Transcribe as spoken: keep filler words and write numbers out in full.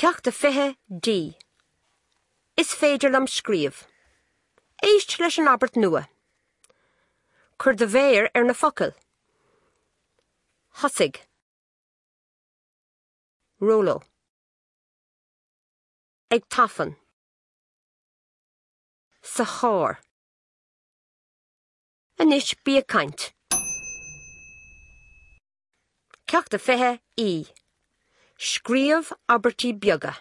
Ceacht a fiche D. Is féidir liom scríobh. Éist leis an abairt nua. Cuir do mhéar ar na focail. Thosaigh. Róló. Ag tafann. Sa charr. Anois bí ag caint. Ceacht a fiche E. Scríobh abairtí beaga.